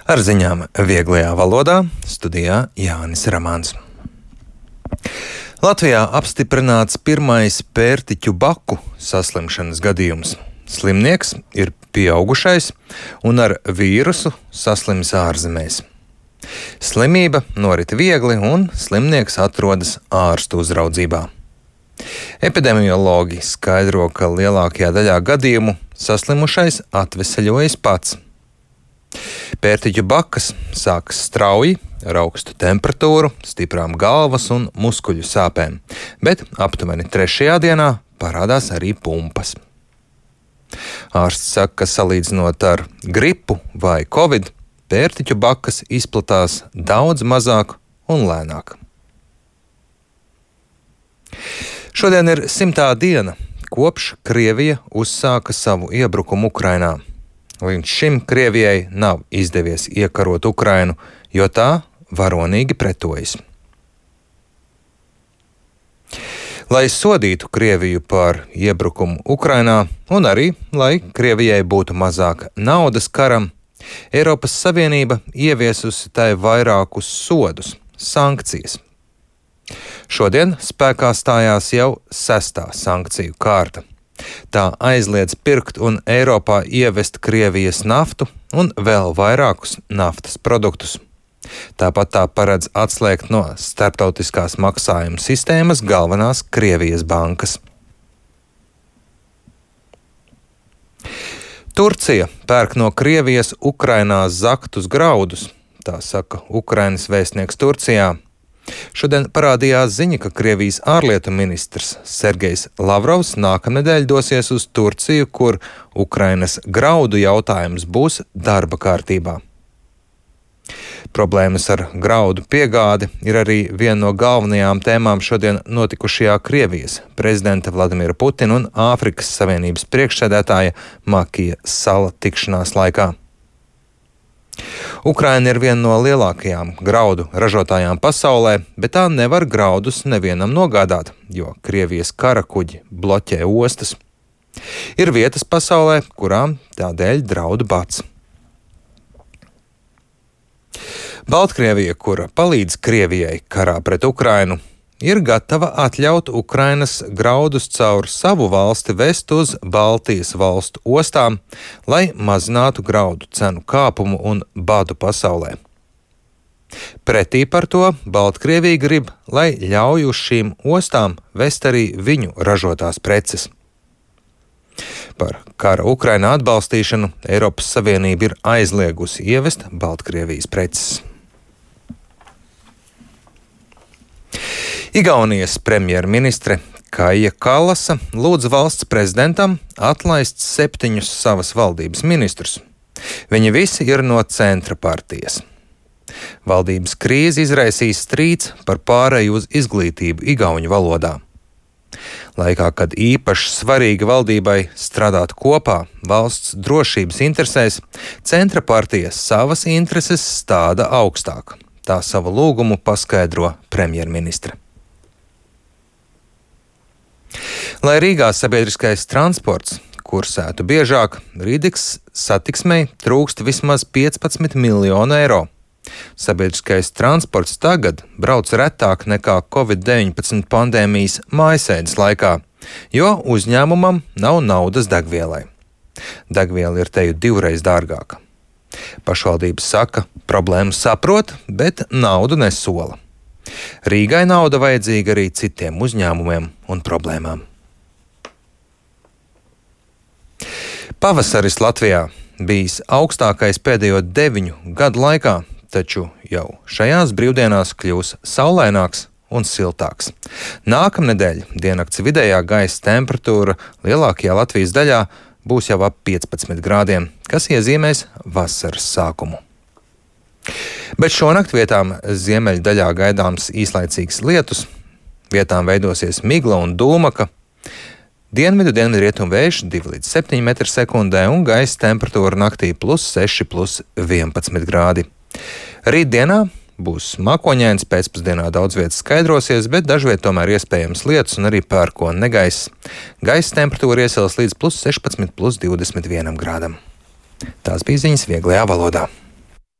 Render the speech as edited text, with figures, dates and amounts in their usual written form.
Ar ziņām vieglajā valodā studijā Jānis Ramāns. Latvijā apstiprināts pirmais pērtiķu baku saslimšanas gadījums. Slimnieks ir pieaugušais un ar vīrusu saslims ārzemēs. Slimība norit viegli un slimnieks atrodas ārstu uzraudzībā. Epidemiologi skaidro, ka lielākajā daļā gadījumu saslimušais atveseļojas pats. Pērtiķu bakas sākas strauji, ar augstu temperatūru, stiprām galvas un muskuļu sāpēm, bet aptuveni 3. dienā parādās arī pumpas. Ārsts saka, ka salīdzinot ar gripu vai covid, pērtiķu bakas izplatās daudz mazāk un lēnāk. Šodien ir 100. diena, kopš Krievija uzsāka savu iebrukumu Ukrainā. Līdz šim Krievijai nav izdevies iekarot Ukrainu, jo tā varonīgi pretojas. Lai sodītu Krieviju par iebrukumu Ukrainā un arī, lai Krievijai būtu mazāk naudas karam, Eiropas Savienība ieviesusi tai vairākus sodus, sankcijas. Šodien spēkā stājās jau 6. sankciju kārta. Tā aizliedz pirkt un Eiropā ievest Krievijas naftu un vēl vairākus naftas produktus. Tāpat tā paredz atslēgt no starptautiskās maksājuma sistēmas galvenās Krievijas bankas. Turcija pērk no Krievijas Ukrainā zaktus graudus, tā saka Ukrainas vēstnieks Turcijā. Šodien parādījās ziņa, ka Krievijas ārlietu ministrs Sergejs Lavrovs nākamnedēļ dosies uz Turciju, kur Ukrainas graudu jautājums būs darba kārtībā. Problēmas ar graudu piegādi ir arī viena no galvenajām tēmām šodien notikušajā Krievijas prezidenta Vladimira Putina un Āfrikas Savienības priekšsēdētāja Makija Sala tikšanās laikā. Ukraina ir viena no lielākajām graudu ražotājām pasaulē, bet tā nevar graudus nevienam nogādāt, jo Krievijas kara kuģi bloķē ostas. Ir vietas pasaulē, kurām tādēļ draud bats. Baltkrievija, kura palīdz Krievijai karā pret Ukrainu, ir gatava atļaut Ukrainas graudus caur savu valsti vest uz Baltijas valstu ostām, lai mazinātu graudu cenu kāpumu un badu pasaulē. Pretī par to Baltkrievija grib, lai ļauj uz šīm ostām vest arī viņu ražotās preces. Par kara Ukrainā atbalstīšanu Eiropas Savienība ir aizliegusi ievest Baltkrievijas preces. Igaunijas premjerministre Kaja Kallasa lūdza valsts prezidentam atlaist 7 savas valdības ministrus. Viņi visi ir no centra partijas. Valdības krīze izraisīs strīds par pāreju uz izglītību igauņu valodā. Laikā, kad īpaši svarīga valdībai strādāt kopā valsts drošības interesēs, centra partija savas intereses stāda augstāk. Tā savu lūgumu paskaidro premjerministre. Lai Rīgā sabiedriskais transports kursētu biežāk, Rīgas satiksmei trūkst vismaz 15 miljonu eiro. Sabiedriskais transports tagad brauc retāk nekā Covid-19 pandēmijas mājasēdes laikā, jo uzņēmumam nav naudas degvielai. Degviela ir teju 2 dārgāka. Pašvaldības saka, problēmu saprot, bet naudu nesola. Rīgai nauda vajadzīga arī citiem uzņēmumiem un problēmām. Pavasaris Latvijā bijis augstākais pēdējo 9 gadu laikā, taču jau šajās brīvdienās kļūs saulaināks un siltāks. Nākamnedēļ diennakts vidējā gaisa temperatūra lielākajā Latvijas daļā būs jau ap 15 grādiem, kas iezīmēs vasaras sākumu. Bet šonakt vietām ziemeļdaļā gaidāms īslaicīgs lietus, vietām veidosies migla un dūmaka, dienvidu-dienvidrietumu vējš 2 līdz 7 m/sekundē un gaisa temperatūra naktī +6, +11 grādi. Rītdienā būs mākoņains, pēcpusdienā daudz vietas skaidrosies, bet dažviet tomēr iespējams lietus un arī pērkona negaiss. Gaisa temperatūra iesils līdz +16, +21 grādam. Tās bija ziņas vieglajā valodā.